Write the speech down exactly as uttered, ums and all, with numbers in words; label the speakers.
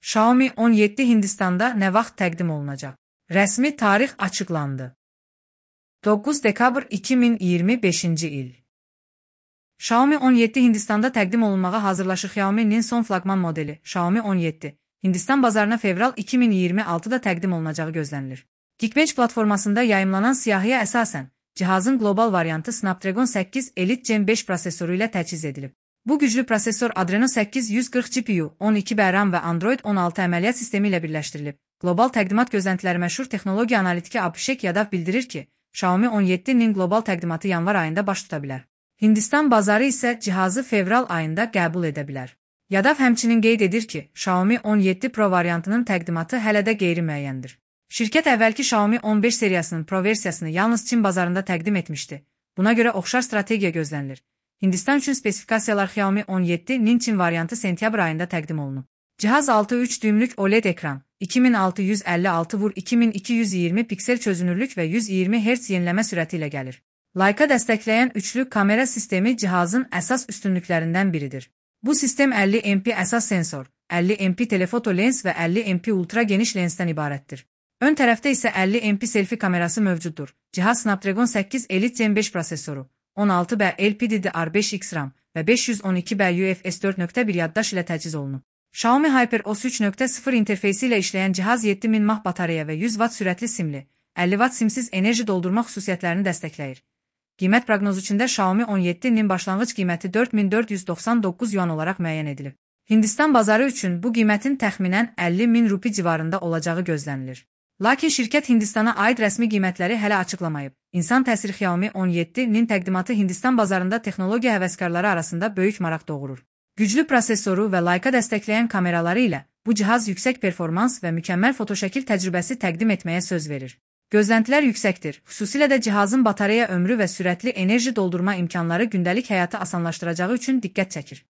Speaker 1: Xiaomi on yeddi Hindistanda nə vaxt təqdim olunacaq? Rəsmi tarix açıqlandı. doqquz dekabr iki min iyirmi beşinci il. Xiaomi on yeddi Hindistanda təqdim olunmağa hazırlaşır. Xiaomi'nin son flaqman modeli Xiaomi on yeddi Hindistan bazarına fevral iki min iyirmi altıda təqdim olunacağı gözlənilir. Geekbench platformasında yayımlanan siyahıya əsasən, cihazın qlobal variantı Snapdragon səkkiz Elite Gen beş prosesoru ilə təchiz edilib. Bu güclü prosesor Adreno səkkiz yüz qırx G P U, on iki B RAM və Android on altı əməliyyat sistemi ilə birləşdirilib. Qlobal təqdimat gözləntiləri məşhur texnologiya analitiki Abhishek Yadav bildirir ki, Xiaomi on yeddinin qlobal təqdimatı yanvar ayında baş tuta bilər. Hindistan bazarı isə cihazı fevral ayında qəbul edə bilər. Yadav həmçinin qeyd edir ki, Xiaomi on yeddi Pro variantının təqdimatı hələ də qeyri-müəyyəndir. Şirkət əvvəlki Xiaomi on beş seriyasının Pro versiyasını yalnız Çin bazarında təqdim etmişdi. Buna görə oxşar strategiya gözlənilir. Hindistan üçün spesifikasiyalar Xiaomi on yeddinin Çin variantı sentyabr ayında təqdim olunub. Cihaz altı üç düymlük O L E D ekran, iki min altı yüz əlli altı vur iki min iki yüz iyirmi piksel çözünürlük və yüz iyirmi hertz yeniləmə sürəti ilə gəlir. Leica dəstəkləyən üçlü kamera sistemi cihazın əsas üstünlüklərindən biridir. Bu sistem əlli MP əsas sensor, əlli MP telefoto lens və əlli MP ultra geniş lensdən ibarətdir. Ön tərəfdə isə əlli MP selfie kamerası mövcuddur. Cihaz Snapdragon səkkiz Elite Gen beş prosesoru, on altı B L P D D R beş X RAM və beş yüz on iki B U F S dörd nöqtə bir yaddaş ilə təchiz olunub. Xiaomi HyperOS üç nöqtə sıfır interfeysi ilə işləyən cihaz yeddi min mAh batareya və yüz watt sürətli simli, əlli watt simsiz enerji doldurma xüsusiyyətlərini dəstəkləyir. Qiymət proqnozu üçün də Xiaomi on yeddinin başlanğıc qiyməti dörd min dörd yüz doxsan doqquz yuan olaraq müəyyən edilib. Hindistan bazarı üçün bu qiymətin təxminən əlli min rupi civarında olacağı gözlənilir. Lakin şirkət Hindistana aid rəsmi qiymətləri hələ açıqlamayıb. İnsan təsiri Xiaomi on yeddinin təqdimatı Hindistan bazarında texnologiya həvəskarları arasında böyük maraq doğurur. Güclü prosesoru və Leica dəstəkləyən kameraları ilə bu cihaz yüksək performans və mükəmməl fotoşəkil təcrübəsi təqdim etməyə söz verir. Gözləntilər yüksəkdir, xüsusilə də cihazın batareya ömrü və sürətli enerji doldurma imkanları gündəlik həyatı asanlaşdıracağı üçün diqqət çəkir.